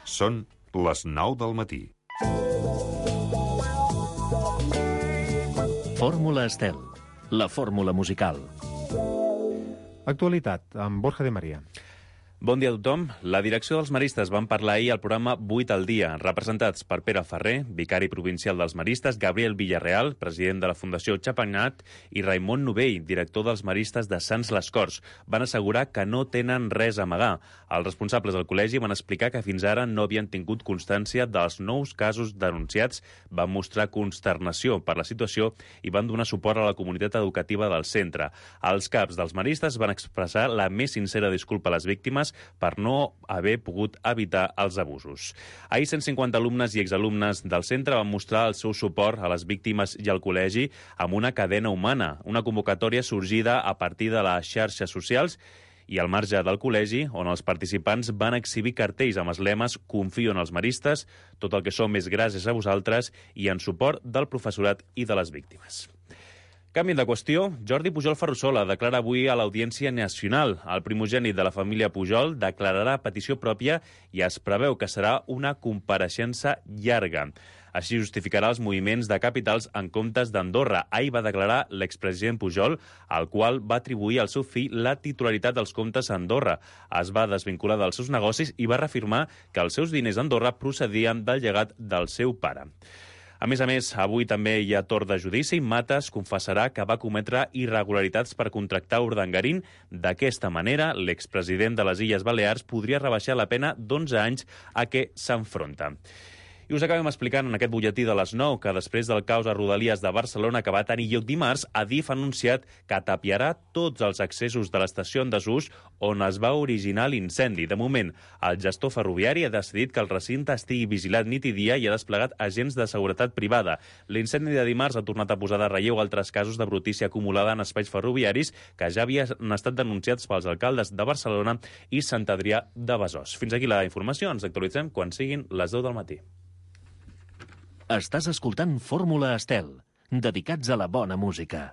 Són les 9 del matí. Fórmula Estel, la fórmula musical. Actualitat, amb Borja de Maria. Bon dia a tothom. La direcció dels maristes van parlar ahir al programa 8 al dia, representats per Pere Ferrer, vicari provincial dels maristes, Gabriel Villarreal, president de la Fundació Chapagnat, i Raimon Novell, director dels maristes de Sants les Corts. Van assegurar que no tenen res a amagar. Els responsables del col·legi van explicar que fins ara no havien tingut constància dels nous casos denunciats, van mostrar consternació per la situació i van donar suport a la comunitat educativa del centre. Els caps dels maristes van expressar la més sincera disculpa a les víctimes per no haver pogut evitar els abusos. Ahir 150 alumnes i exalumnes del centre van mostrar el seu suport a les víctimes i al col·legi amb una cadena humana, una convocatòria sorgida a partir de les xarxes socials i al marge del col·legi, on els participants van exhibir cartells amb els lemes «Confio en els maristes», «Tot el que som és gràcies a vosaltres» i en suport del professorat i de les víctimes. Canvi de qüestió, Jordi Pujol Ferrusola declara avui a l'Audiència Nacional. El primogènit de la família Pujol declararà a petició pròpia i es preveu que serà una compareixença llarga. Així justificarà els moviments de capitals en comptes d'Andorra. Ahir va declarar l'expresident Pujol, al qual va atribuir al seu fill la titularitat dels comptes a Andorra. Es va desvincular dels seus negocis i va reafirmar que els seus diners a Andorra procedien del llegat del seu pare. A més, avui també hi ha torn de judici. Matas confessarà que va cometre irregularitats per contractar Urdangarín. D'aquesta manera, l'expresident de les Illes Balears podria rebaixar la pena d'11 anys a què s'enfronta. I us acabem explicant en aquest butlletí de les 9 que després del caos a Rodalies de Barcelona que va tenir lloc dimarts, Adif ha anunciat que tapiarà tots els accessos de l'estació en desús on es va originar l'incendi. De moment, el gestor ferroviari ha decidit que el recinte estigui vigilat nit i dia i ha desplegat agents de seguretat privada. L'incendi de dimarts ha tornat a posar de relleu altres casos de brutícia acumulada en espais ferroviaris que ja havien estat denunciats pels alcaldes de Barcelona i Sant Adrià de Besòs. Fins aquí la informació. Ens actualitzem quan siguin les 10 del matí. Estàs escoltant Fórmula Estel, dedicats a la bona música.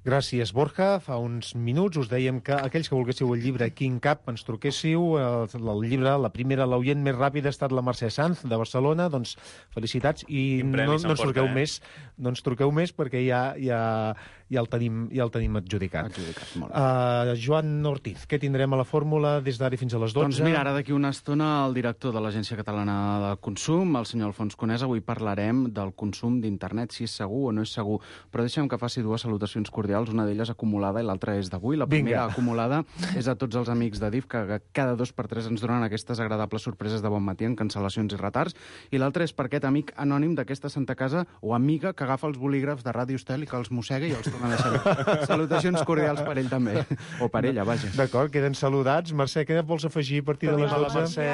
Gràcies, Borja. Fa uns minuts us dèiem que aquells que volguéssiu el llibre King Cap ens truquéssiu. El llibre, la primera, l'oient més ràpida ha estat la Mercè Sanz, de Barcelona. Doncs felicitats. I no ens truqueu més. No ens truqueu més perquè ja el tenim adjudicat. Molt bé. Joan Ortiz, què tindrem a la fórmula des d'ara fins a les 12? Doncs mira, ara d'aquí una estona el director de l'Agència Catalana de Consum, el senyor Alfons Conesa, avui parlarem del consum d'internet, si és segur o no és segur. Però deixa'm que faci dues salutacions cordials, una d'elles acumulada i l'altra és d'avui. La primera acumulada és a tots els amics de DIF que cada 2 per 3 ens donen aquestes agradables sorpreses de bon matí en cancel·lacions i retards. I l'altra és per aquest amic anònim d'aquesta Santa Casa o amiga que agafa els bolígrafs de Ràdio Estel i que els mossega i els torna a deixar. Salutacions cordials per ell també. O per ella, vaja. D'acord, queden saludats. Mercè, què vols afegir a partir de les 12? La Mercè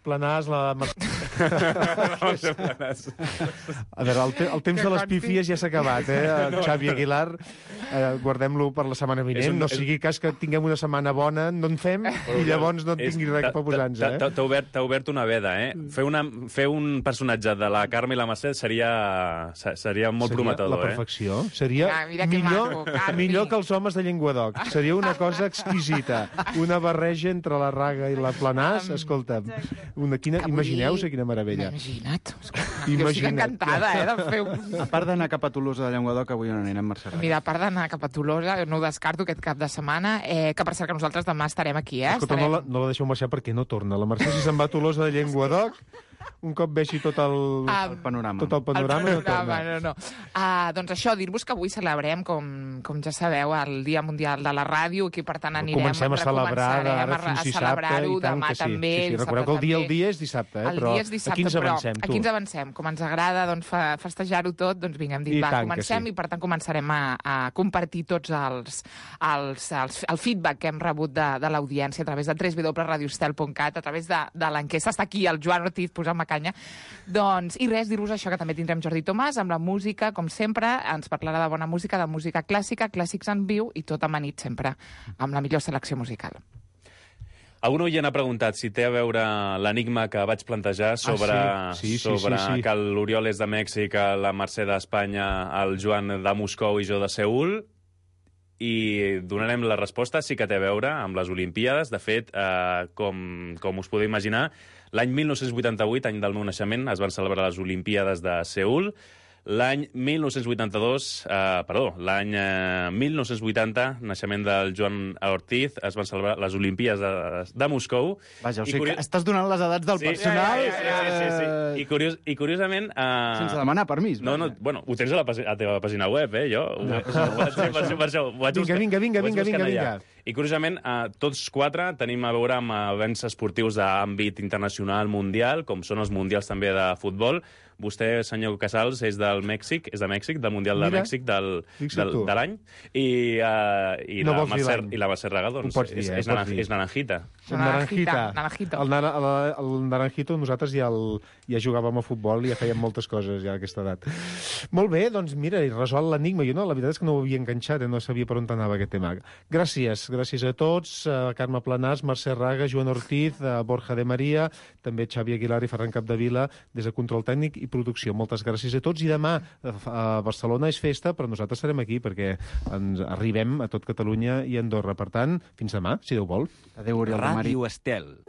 Planàs, la Mercè... A veure, el temps de les pífies ja s'ha acabat, eh? Xavi Aguilar, guardem-lo per la setmana vinent. No sigui cas que tinguem una setmana bona, no en fem, i llavors no en tingui res per posar-nos, eh? T'ha obert una veda, eh? Fer un personatge de la Carme i la Mercè seria molt prometedor, la perfecció. Seria millor que els homes de Llenguadoc. Seria una cosa exquisita. Una barreja entre la Raga i la Planàs. Escolta'm, imagineu-se quina meravella. Imagina't. Jo estic encantada, de fer un... A part d'anar cap a Tolosa de Llenguadoc, avui on anirem, Mercè? Mira, a part d'anar cap a Tolosa, no ho descarto aquest cap de setmana, que per cert que nosaltres demà estarem aquí, eh? Escolta, no la deixeu marxar perquè no torna. La Mercè, si se'n va a Tolosa de Llenguadoc, un cop veixi tot el panorama. Tot el panorama no torna. Doncs això, dir-vos que avui celebrem, com ja sabeu, el Dia Mundial de la Ràdio, i per tant comencem a celebrar d'ara fins dissabte, i tant que sí. També, recordeu que el dia és dissabte, però aquí ens avancem, tu. Aquí ens avancem. Com ens agrada festejar-ho tot, doncs vinga, hem dit, comencem, i per tant començarem a compartir tots el feedback que hem rebut de l'audiència a través de www.radiostel.cat, a través de l'enquesta. Està aquí el Joan Ortiz posant-me canya. Doncs, i res, dir-vos això, que també tindrem Jordi Tomàs amb la música, com sempre, ens parlarà de bona música, de música clàssica, clàssics en viu, i tot amanit sempre amb la millor selecció musical. Algun oient ha preguntat si té a veure l'enigma que vaig plantejar sobre que l'Oriol és de Mèxic, la Mercè d'Espanya, el Joan de Moscou i jo de Seül. i donarem la resposta, sí que té a veure amb les Olimpíades. De fet, com us podeu imaginar, l'any 1988, any del meu naixement, es van celebrar les Olimpíades de Seül. L'any 1980, naixement del Joan Ortiz, es van celebrar les Olimpíades de Moscou. Vaja, o sigui que estàs donant les edats del personal... Sí. I curiosament... Sense demanar permís. No, bueno, ho tens a la teva pàgina web, jo. Per això ho vaig buscar. Vinga. I curiosament, tots quatre tenim a veure amb events esportius d'àmbit internacional, mundial, com són els mundials també de futbol. Vostè, senyor Casals, és del Mèxic, del Mundial de Mèxic de l'any, i la Mercè Raga, doncs, és naranjita. Naranjito. El naranjito, nosaltres ja jugàvem a futbol i ja fèiem moltes coses ja a aquesta edat. Molt bé, doncs mira, i resol l'enigma. Jo la veritat és que no ho havia enganxat, no sabia per on anava aquest tema. Gràcies a tots, Carme Planàs, Mercè Raga, Joan Ortiz, Borja de Maria, també Xavi Aguilar i Ferran Capdevila, des de Control Tècnic i Producció. Moltes gràcies a tots. I demà a Barcelona és festa, però nosaltres serem aquí perquè ens arribem a tot Catalunya i Andorra. Per tant, fins demà, si Déu vol. Adéu, Oriol de Mari. Ràdio Estel.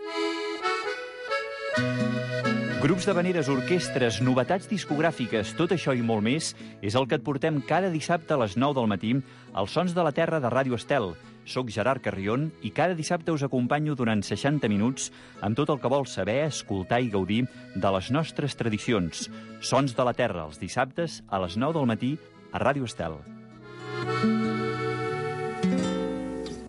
Grups d'havaneres, orquestres, novetats discogràfiques, tot això i molt més és el que et portem cada dissabte a les 9 del matí als Sons de la Terra de Ràdio Estel. Soc Gerard Carrion i cada dissabte us acompanyo durant 60 minuts amb tot el que vols saber, escoltar i gaudir de les nostres tradicions. Sons de la Terra, els dissabtes a les 9 del matí a Ràdio Estel.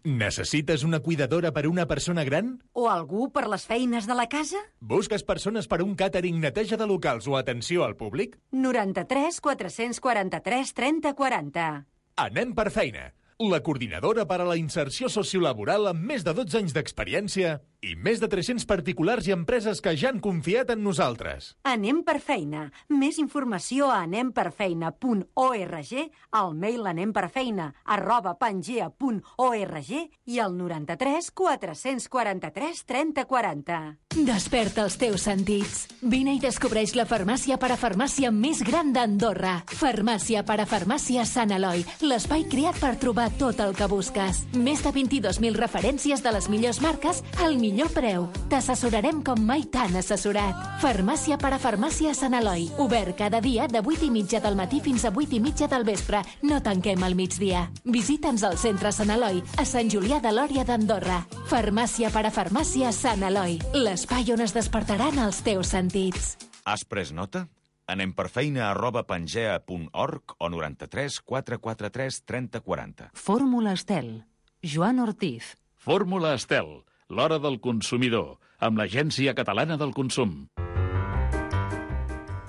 Necessites una cuidadora per una persona gran? O algú per les feines de la casa? Busques persones per un càtering, neteja de locals o atenció al públic? 93 443 30 40. Anem per feina. La coordinadora per a la inserció sociolaboral amb més de 12 anys d'experiència i més de 300 particulars i empreses que ja han confiat en nosaltres. Anem per feina. Més informació a anemperfeina.org, al mail anemperfeina@pangea.org i al 93 443 30 40. Desperta els teus sentits. Vine i descobreix la farmàcia parafarmàcia més gran d'Andorra. Farmàcia parafarmàcia Sant Eloi, l'espai creat per trobar tot el que busques. Més de 22.000 referències de les millors marques al millor preu. T'assessorarem com mai t'han assessorat. Farmàcia parafarmàcia Sant Eloi. Obert cada dia de 8:30 del matí fins a 8:30 del vespre. No tanquem al migdia. Visita'ns al centre Sant Eloi, a Sant Julià de Lòria d'Andorra. Farmàcia parafarmàcia Sant Eloi. L'espai on es despertaran els teus sentits. Has pres nota? anemperfeina@pangea.org o 93 443 30 40. Fórmula Estel. Joan Ortiz. Fórmula Estel, l'hora del consumidor, amb l'Agència Catalana del Consum.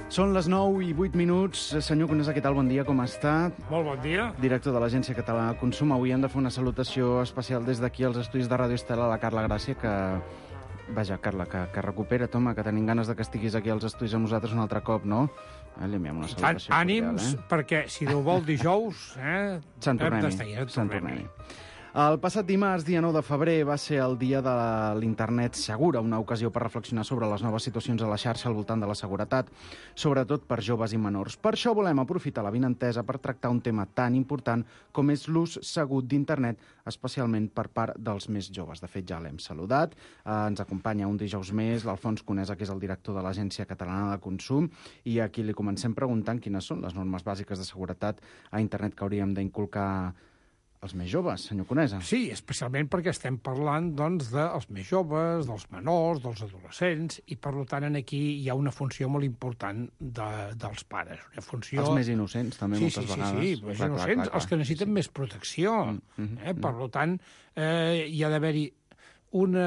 Són les 9:08. Senyor Conesa, què tal? Bon dia, com està? Molt bon dia. Director de l'Agència Catalana del Consum. Avui hem de fer una salutació especial des d'aquí als estudis de Ràdio Estel a la Carla Gràcia, que... Vaja, Carla, que recupera, home, que tenim ganes de que estiguis aquí als estudis amb nosaltres un altre cop, no? Li enviem una salutació ànims, perquè si Déu vol dijous, se'n tornem-hi. El passat dimarts, dia 9 de febrer, va ser el dia de l'Internet segura, una ocasió per reflexionar sobre les noves situacions a la xarxa al voltant de la seguretat, sobretot per joves i menors. Per això volem aprofitar la vinentesa per tractar un tema tan important com és l'ús segur d'Internet, especialment per part dels més joves. De fet, ja l'hem saludat. Ens acompanya un dijous més l'Alfons Conesa, que és el director de l'Agència Catalana de Consum, i aquí li comencem preguntant quines són les normes bàsiques de seguretat a Internet que hauríem d'inculcar els més joves, senyor Conesa. Sí, especialment perquè estem parlant doncs, dels més joves, dels menors, dels adolescents, i per tant aquí hi ha una funció molt important dels pares. Una funció... Els més innocents, també, moltes vegades. Sí, els més innocents, els que necessiten més protecció. Per tant, hi ha d'haver-hi una...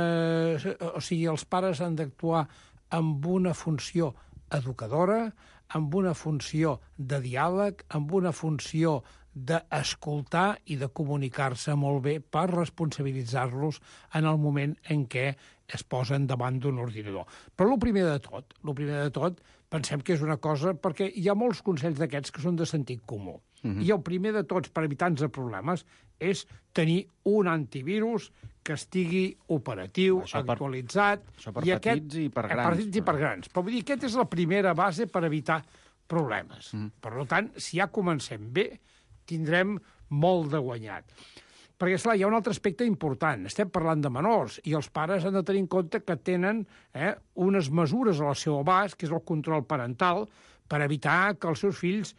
O sigui, els pares han d'actuar amb una funció educadora, amb una funció de diàleg, amb una funció d'escoltar i de comunicar-se molt bé per responsabilitzar-los en el moment en què es posen davant d'un ordinador. Però el primer de tot, pensem que és una cosa, perquè hi ha molts consells d'aquests que són de sentit comú. I el primer de tots, per evitar-nos problemes, és tenir un antivirus que estigui operatiu, actualitzat... Això per petits i per grans. Per petits i per grans. Però vull dir, aquesta és la primera base per evitar problemes. Per tant, si ja comencem bé, tindrem molt de guanyat. Perquè, esclar, hi ha un altre aspecte important. Estem parlant de menors i els pares han de tenir en compte que tenen unes mesures al seu abast, que és el control parental, per evitar que els seus fills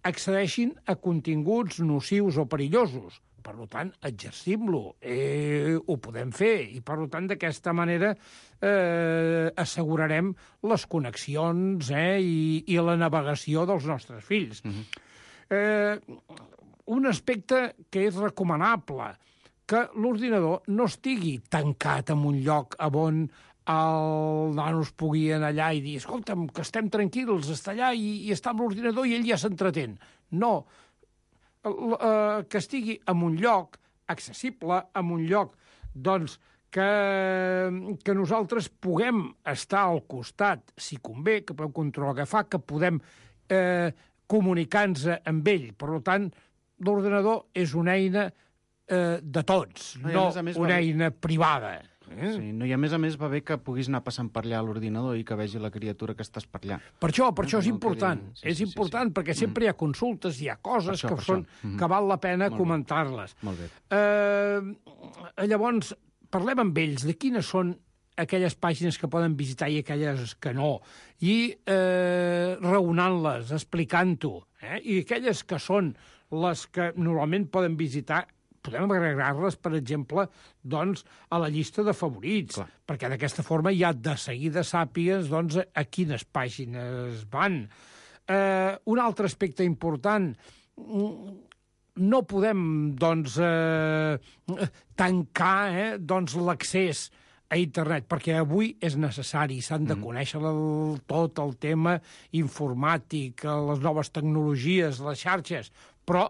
accedeixin a continguts nocius o perillosos. Per tant, exercim-lo, ho podem fer, i per tant, d'aquesta manera assegurarem les connexions i la navegació dels nostres fills. Un aspecte que és recomanable, que l'ordinador no estigui tancat en un lloc on el nano es pugui anar allà i dir escolta'm, que estem tranquils, està allà i està amb l'ordinador i ell ja s'entretén. No, que estigui en un lloc accessible, en un lloc doncs, que nosaltres puguem estar al costat, si convé, que podem controlar què fa, que podem comunicar-nos amb ell. Per tant, l'ordenador és una eina de tots, no una eina privada. Sí, no, i a més va bé que puguis anar passant per allà a l'ordinador i que vegi la criatura que estàs per allà. Per això és important. És important perquè sempre hi ha consultes, hi ha coses que val la pena comentar-les. Molt bé. Llavors, parlem amb ells de quines són aquelles pàgines que poden visitar i aquelles que no, i raonant-les, explicant-ho. I aquelles que són les que normalment poden visitar, podem agregar-les, per exemple, doncs, a la llista de favorits, perquè d'aquesta forma ja de seguida sàpigues doncs, a quines pàgines van. Un altre aspecte important, no podem doncs, tancar doncs, l'accés a internet, perquè avui és necessari, s'han de conèixer tot el tema informàtic, les noves tecnologies, les xarxes, però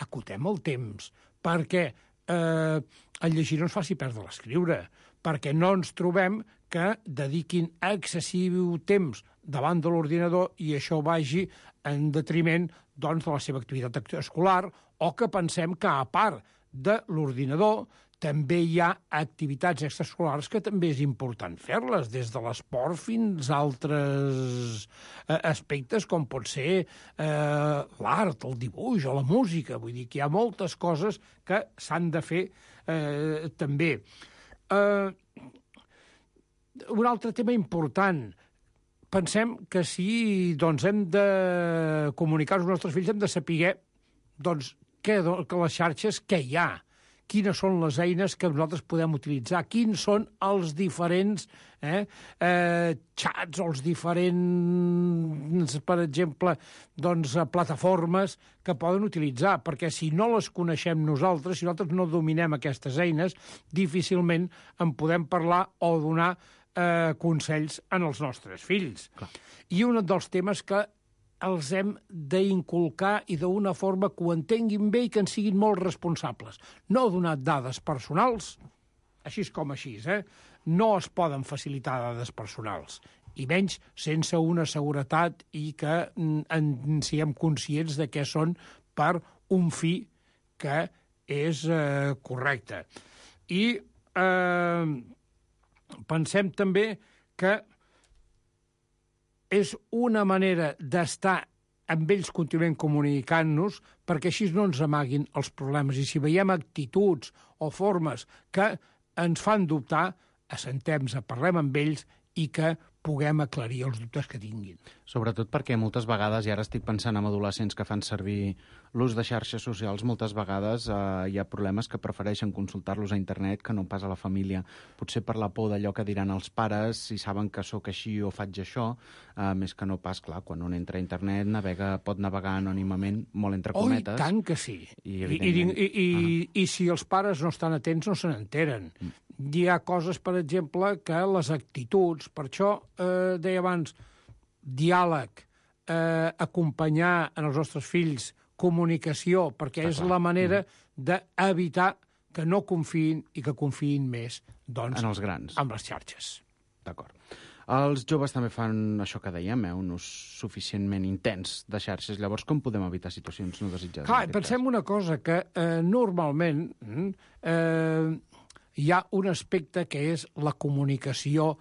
acotem el temps, perquè el llegir no ens faci perdre l'escriure, perquè no ens trobem que dediquin excessiu temps davant de l'ordinador i això vagi en detriment doncs, de la seva activitat escolar, o que pensem que, a part de l'ordinador, també hi ha activitats extraescolars que també és important fer-les, des de l'esport fins a altres aspectes, com pot ser l'art, el dibuix o la música. Vull dir que hi ha moltes coses que s'han de fer també. Un altre tema important. Pensem que si doncs, hem de comunicar als nostres fills hem de saber doncs, que les xarxes què hi ha, quines són les eines que nosaltres podem utilitzar, quins són els diferents xats o els diferents, per exemple, doncs, plataformes que poden utilitzar, perquè si no les coneixem nosaltres, si nosaltres no dominem aquestes eines, difícilment en podem parlar o donar consells en els nostres fills. Clar. I un dels temes que els hem d'inculcar i d'una forma que ho entenguin bé i que en siguin molt responsables. No donar dades personals, així com així, no es poden facilitar dades personals, i menys sense una seguretat i que en siguem conscients de què són per un fi que és correcte. I pensem també que és una manera d'estar amb ells continuem comunicant-nos perquè així no ens amaguin els problemes. I si veiem actituds o formes que ens fan dubtar, assentem-nos, parlem amb ells i que puguem aclarir els dubtes que tinguin. Sobretot perquè moltes vegades, i ara estic pensant en adolescents que fan servir l'ús de xarxes socials, moltes vegades hi ha problemes que prefereixen consultar-los a internet que no pas a la família. Potser per la por d'allò que diran els pares, si saben que sóc així o faig això, més que no pas, clar, quan un entra a internet pot navegar anònimament, molt entre cometes. Oh, i tant que sí. I si els pares no estan atents no se n'enteren. Hi ha coses, per exemple, que les actituds, per això deia abans, diàleg, acompanyar en els nostres fills, comunicació, perquè és la manera d'evitar que no confiïn i que confiïn més doncs, en els grans, amb les xarxes. D'acord. Els joves també fan això que dèiem, un ús suficientment intens de xarxes. Llavors, com podem evitar situacions no desitjades? Clar, pensem una cosa, que normalment hi ha un aspecte que és la comunicació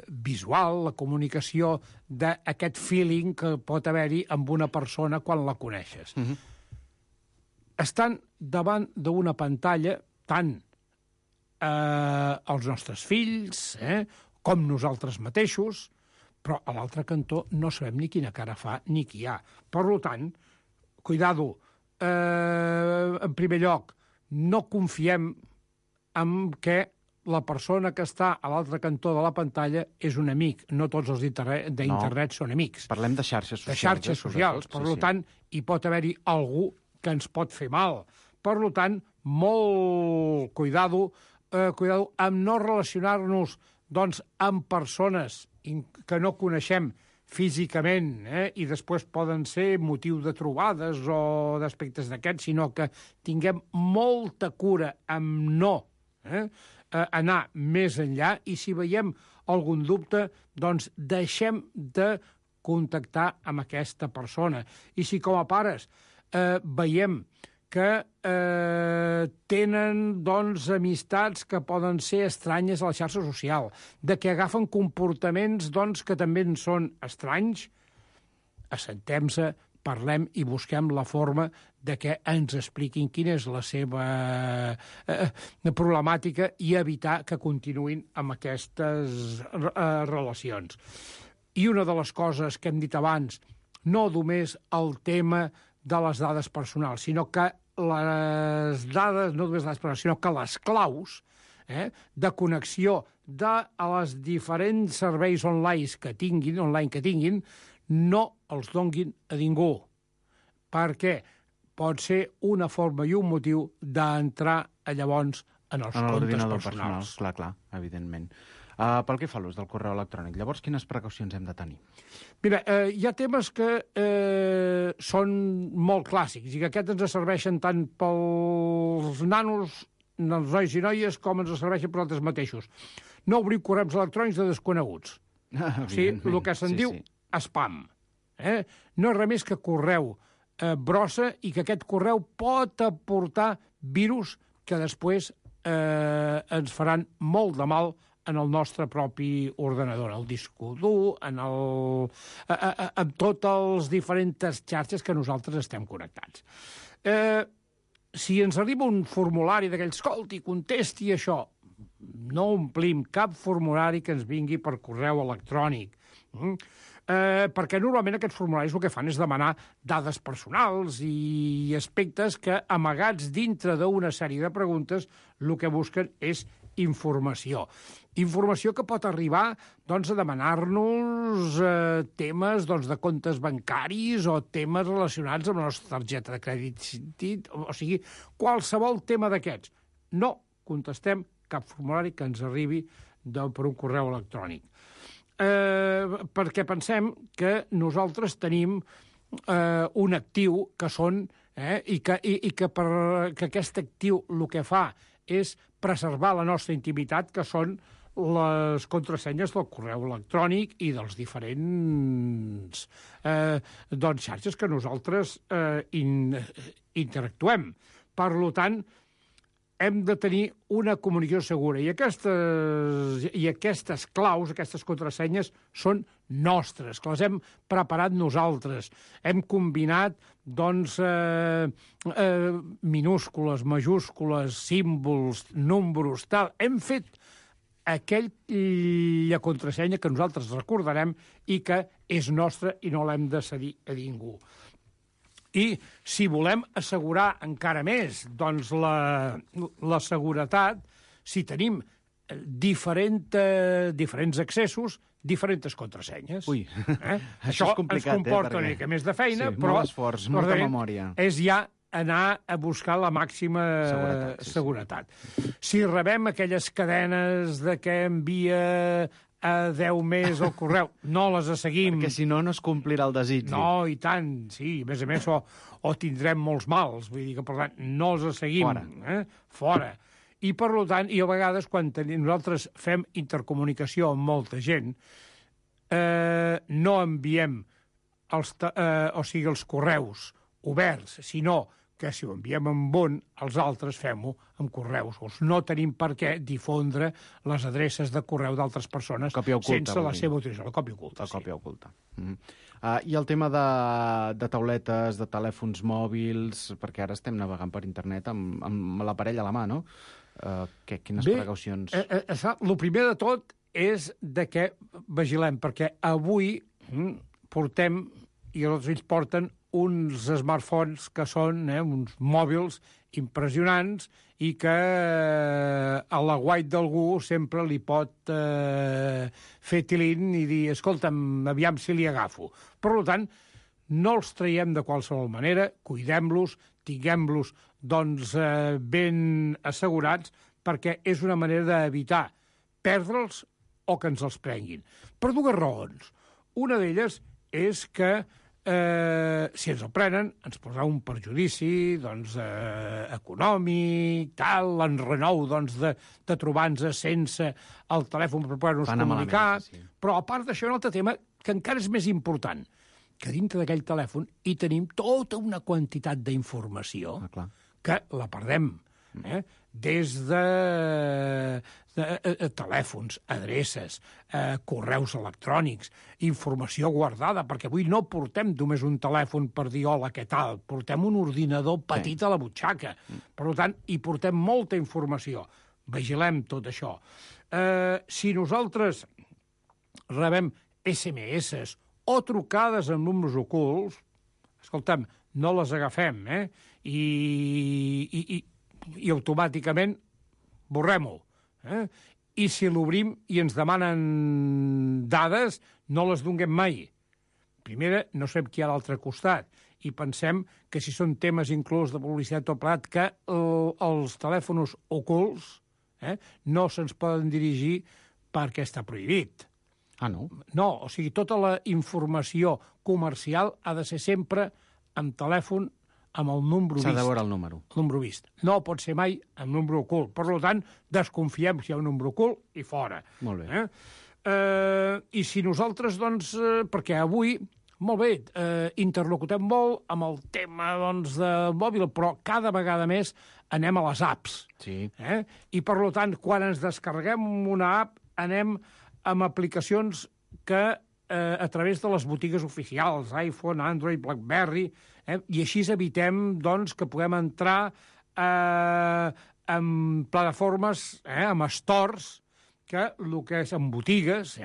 visual, la comunicació d'aquest feeling que pot haver-hi amb una persona quan la coneixes. Estan davant d'una pantalla tant els nostres fills, com nosaltres mateixos, però a l'altre cantó no sabem ni quina cara fa ni qui hi ha. Per tant, cuidado, en primer lloc, no confiem en que la persona que està a l'altre cantó de la pantalla és un amic. No tots els d'internet són amics. Parlem de xarxes socials. De xarxes socials. Per tant, hi pot haver-hi algú que ens pot fer mal. Per tant, molt cuidado amb no relacionar-nos amb persones que no coneixem físicament, i després poden ser motiu de trobades o d'aspectes d'aquests, sinó que tinguem molta cura amb no anar més enllà, i si veiem algun dubte, doncs deixem de contactar amb aquesta persona. I si com a pares veiem que tenen amistats que poden ser estranyes a la xarxa social, de que agafen comportaments que també en són estranys, assentem-se, parlem i busquem la forma de que ens expliquin quina és la seva problemàtica i evitar que continuïn amb aquestes relacions. I una de les coses que hem dit abans, no només el tema de les dades personals, sinó que les dades, no només les personals, sinó que les claus de connexió de les diferents serveis online que tinguin, no els donguin a ningú, perquè pot ser una forma i un motiu d'entrar llavors en els comptes personals. Clar, evidentment. Pel que fa a l'ús del correu electrònic, llavors quines precaucions hem de tenir? Mira, hi ha temes que són molt clàssics i que aquests ens serveixen tant pels nanos, els nois i noies, com ens serveixen per altres mateixos. No obrir correus electrònics de desconeguts. O sigui, el que se'n diu spam. No és res més que correu brossa, i que aquest correu pot aportar virus que després ens faran molt de mal en el nostre propi ordenador, en el disc dur, en totes les diferents xarxes que nosaltres estem connectats. Si ens arriba un formulari d'aquells, escolti, contesti això, no omplim cap formulari que ens vingui per correu electrònic, perquè normalment aquests formularis el que fan és demanar dades personals i aspectes que, amagats dintre d'una sèrie de preguntes, el que busquen és informació. Informació que pot arribar a demanar-nos temes de comptes bancaris o temes relacionats amb la nostra targeta de crèdit, o sigui, qualsevol tema d'aquests. No contestem cap formulari que ens arribi per un correu electrònic. Perquè pensem que nosaltres tenim un actiu que són, i que aquest actiu el que fa és preservar la nostra intimitat, que són les contrasenyes del correu electrònic i dels diferents xarxes que nosaltres interactuem. Per tant, hem de tenir una comunicació segura, i aquestes claus, aquestes contrasenyes, són nostres, que les hem preparat nosaltres. Hem combinat, minúscules, majúscules, símbols, números, tal. Hem fet aquella contrasenya que nosaltres recordarem i que és nostra i no l'hem de cedir a ningú. I si volem assegurar encara més la seguretat, si tenim diferents accessos, diferents contrasenyes. Ui, això és complicat, ens comporta una mica més de feina, però molt esforç, molta memòria. És ja anar a buscar la màxima seguretat. Si rebem aquelles cadenes de que envia a 10 més el correu, no les seguim. Perquè si no, no es complirà el desig. No, i tant, sí. A més, o tindrem molts mals. Vull dir que, per tant, no els seguim. Fora. I, per tant, i a vegades, quan nosaltres fem intercomunicació amb molta gent, no enviem els correus oberts, sinó que si ho enviem amb un, els altres fem-ho amb correus. No tenim per què difondre les adreces de correu d'altres persones sense la seva utilització. La còpia oculta. La còpia oculta. I el tema de tauletes, de telèfons mòbils, perquè ara estem navegant per internet amb l'aparell a la mà, no? Quines precaucions? El primer de tot és de què vigilem, perquè avui portem, i els ells porten, uns smartphones que són uns mòbils impressionants i que a la guait d'algú sempre li pot fer tilín i dir, escolta'm, aviam si li agafo. Per tant, no els traiem de qualsevol manera, cuidem-los, tinguem-los ben assegurats, perquè és una manera d'evitar perdre'ls o que ens els prenguin. Per dues raons. Una d'elles és que si ens el prenen, ens posarà un perjudici econòmic, l'enrenou de trobar-nos sense el telèfon per poder-nos comunicar. Però, a part d'això, un altre tema que encara és més important, que dintre d'aquell telèfon hi tenim tota una quantitat d'informació que la perdem. Des de telèfons, adreces, correus electrònics, informació guardada, perquè avui no portem només un telèfon per dir hola, què tal, portem un ordinador petit a la butxaca. Per tant, hi portem molta informació. Vigilem tot això. Si nosaltres rebem SMS o trucades amb números ocults, escolta'm, no les agafem, i automàticament borrem-ho. I si l'obrim i ens demanen dades, no les donem mai. Primera, no sabem qui hi ha a l'altre costat, i pensem que si són temes inclús de publicitat o plat, que els telèfons ocults no se'ns poden dirigir perquè està prohibit. No? No, o sigui, tota la informació comercial ha de ser sempre amb telèfon amb el número vist. S'ha de veure el número. El número vist. No pot ser mai amb número ocult. Per tant, desconfiem si hi ha un número ocult i fora. Molt bé. I si nosaltres, perquè avui, molt bé, interlocutem molt amb el tema del mòbil, però cada vegada més anem a les apps. Sí. I, per tant, quan ens descarreguem una app, anem amb aplicacions que a través de les botigues oficials, iPhone, Android, BlackBerry, i així evitem que puguem entrar en plataformes, en stores, que el que és en botigues,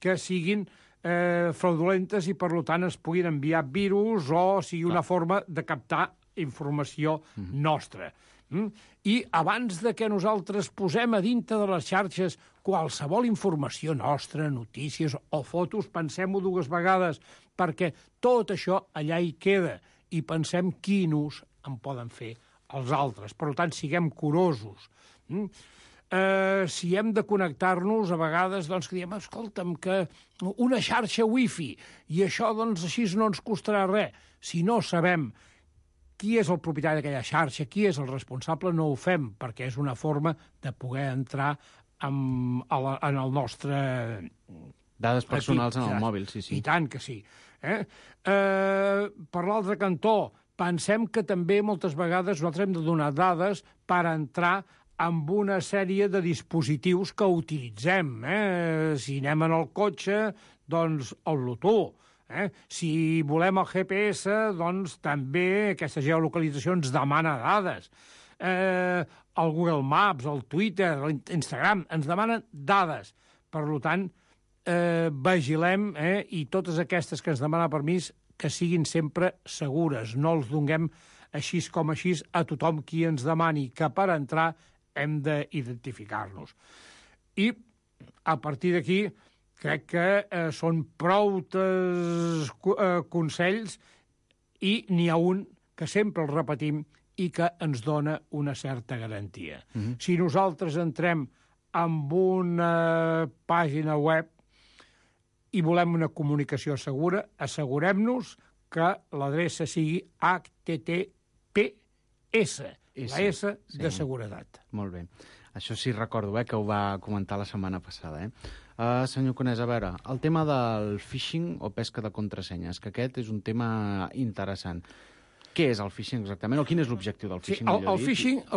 que siguin fraudulentes i, per tant, es puguin enviar virus o sigui una forma de captar informació nostra. I abans de que nosaltres posem a dintre de les xarxes qualsevol informació nostra, notícies o fotos, pensem-ho dues vegades, perquè tot això allà hi queda i pensem quin ús en poden fer els altres. Per tant, siguem curosos. Si hem de connectar-nos, a vegades, que diem, escolta'm, que una xarxa wifi, i això, així no ens costarà res. Si no sabem qui és el propietari d'aquella xarxa, qui és el responsable, no ho fem, perquè és una forma de poder entrar en el nostre... Dades personals en el mòbil, sí. I tant que sí. Per l'altre cantó, pensem que també moltes vegades nosaltres hem de donar dades per entrar amb una sèrie de dispositius que utilitzem. Si anem en el cotxe, doncs el Bluetooth. Si volem el GPS, doncs també aquesta geolocalització ens demana dades. El Google Maps, el Twitter, l'Instagram, ens demanen dades. Per tant, vigilem i totes aquestes que ens demanen permís que siguin sempre segures. No els donem així com així a tothom qui ens demani, que per entrar hem d'identificar-nos. I a partir d'aquí crec que són prou consells i n'hi ha un que sempre el repetim i que ens dona una certa garantia. Si nosaltres entrem en una pàgina web i volem una comunicació segura, assegurem-nos que l'adreça sigui HTTPS, la S de seguretat. Molt bé. Això sí recordo, que ho va comentar la setmana passada. Senyor Conès, a veure, el tema del phishing o pesca de contrasenyes, que aquest és un tema interessant. Què és el phishing exactament? O quin és l'objectiu del phishing? El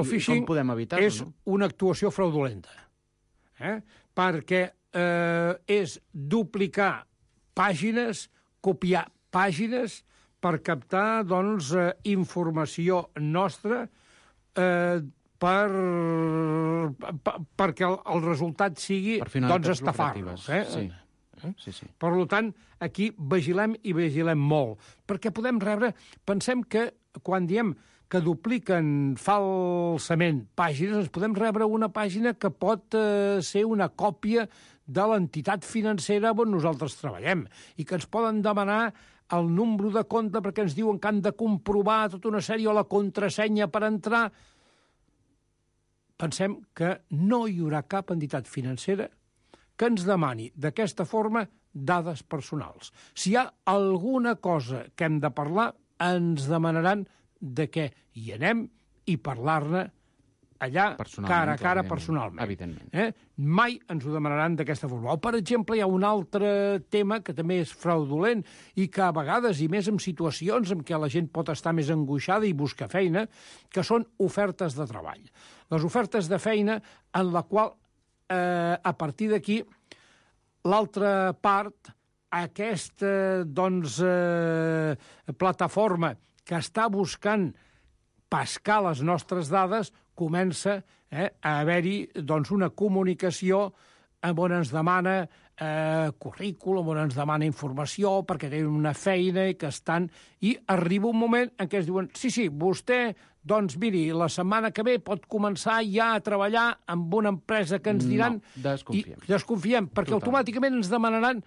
phishing com podem evitar-ho, és una actuació fraudulenta. Perquè és duplicar pàgines, copiar pàgines per captar informació nostra perquè el resultat sigui estafar-nos. Sí. Per tant, aquí vigilem i vigilem molt. Perquè podem rebre... Pensem que quan diem que dupliquen falsament pàgines, ens podem rebre una pàgina que pot ser una còpia de l'entitat financera on nosaltres treballem i que ens poden demanar el número de compte perquè ens diuen que han de comprovar tota una sèrie o la contrasenya per entrar. Pensem que no hi haurà cap entitat financera que ens demani d'aquesta forma dades personals. Si hi ha alguna cosa que hem de parlar, ens demanaran de què hi anem i parlar-ne allà cara a cara personalment. Evidentment. Mai ens ho demanaran d'aquesta forma. O, per exemple, hi ha un altre tema que també és fraudulent i que a vegades, i més en situacions en què la gent pot estar més angoixada i buscar feina, que són ofertes de treball. Les ofertes de feina en la qual, a partir d'aquí, l'altra part, aquesta plataforma que està buscant pescar les nostres dades, comença a haver-hi una comunicació on ens demana currículum, on ens demana informació perquè tenen una feina i que estan... I arriba un moment en què es diuen sí, vostè, miri, la setmana que ve pot començar ja a treballar amb una empresa que ens diran... No, desconfiem. Desconfiem, perquè automàticament ens demanaran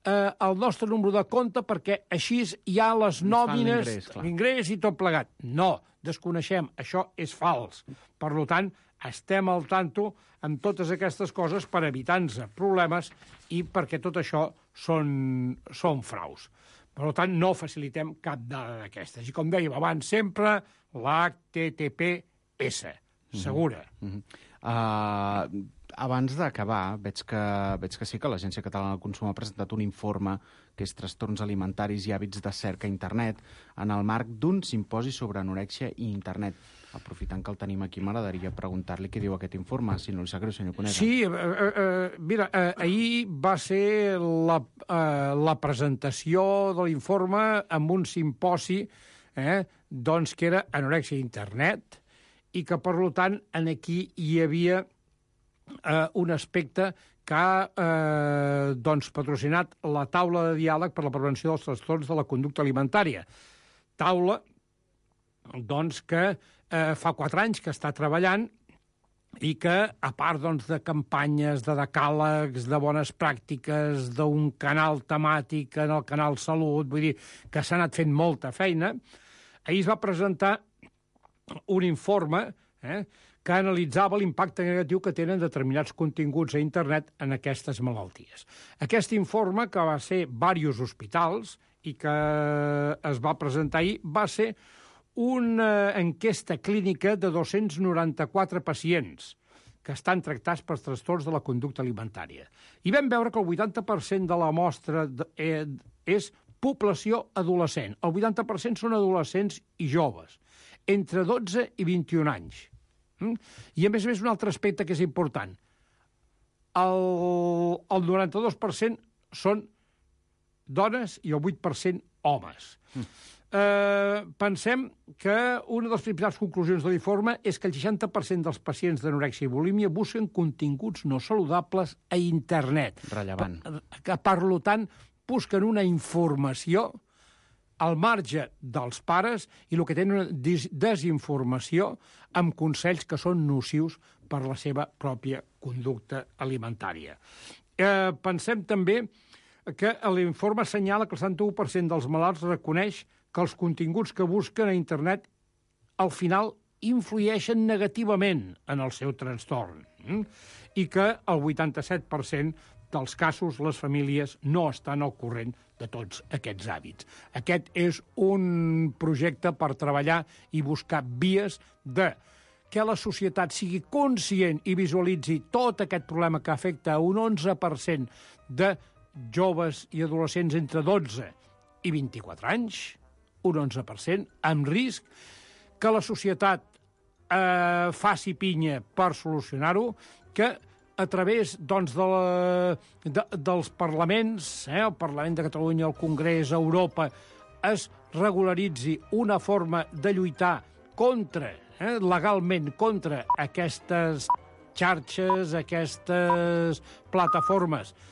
el nostre número de compte perquè així hi ha les nòmines, l'ingrés i tot plegat. No, desconeixem, això és fals. Per tant, estem al tanto amb totes aquestes coses per evitar-nos problemes i perquè tot això són fraus. Per tant, no facilitem cap dada d'aquestes. I com dèiem abans, sempre l'HTTPS, segura. Abans d'acabar, veig que sí que l'Agència Catalana del Consum ha presentat un informe que és Trastorns alimentaris i hàbits de cerca a internet en el marc d'un simposi sobre anorèxia i internet. Aprofitant que el tenim aquí, m'agradaria preguntar-li què diu aquest informe, si no li sap greu, senyor Conesa. Sí, mira, ahir va ser la presentació de l'informe amb un simposi que era anorèxia i internet i que, per tant, aquí hi havia un aspecte que ha patrocinat la taula de diàleg per la prevenció dels trastorns de la conducta alimentària. Taula, que fa 4 anys que està treballant i que, a part de campanyes, de decàlegs, de bones pràctiques, d'un canal temàtic en el canal Salut, vull dir que s'ha anat fent molta feina, ahir es va presentar un informe que analitzava l'impacte negatiu que tenen determinats continguts a internet en aquestes malalties. Aquest informe, que va ser diversos hospitals i que es va presentar ahir, va ser una enquesta clínica de 294 pacients que estan tractats per trastorns de la conducta alimentària. I vam veure que el 80% de la mostra és població adolescent. El 80% són adolescents i joves, entre 12 i 21 anys. I, a més, un altre aspecte que és important. El 92% són dones i el 8% homes. Pensem que una de les principals conclusions de l'informe és que el 60% dels pacients d'anorèxia i bulímia busquen continguts no saludables a internet. Rellevant. Per tant, busquen una informació al marge dels pares i el que tenen una desinformació amb consells que són nocius per la seva pròpia conducta alimentària. Pensem també que l'informe assenyala que el 71% dels malalts reconeix que els continguts que busquen a internet al final influeixen negativament en el seu trastorn i que el 87% dels casos les famílies no estan al corrent de tots aquests hàbits. Aquest és un projecte per treballar i buscar vies de que la societat sigui conscient i visualitzi tot aquest problema que afecta a un 11% de joves i adolescents entre 12 i 24 anys, un 11%, amb risc que la societat faci pinya per solucionar-ho, que a través doncs, dels parlaments, el Parlament de Catalunya, el Congrés, Europa, es regularitzi una forma de lluitar legalment contra aquestes xarxes, aquestes plataformes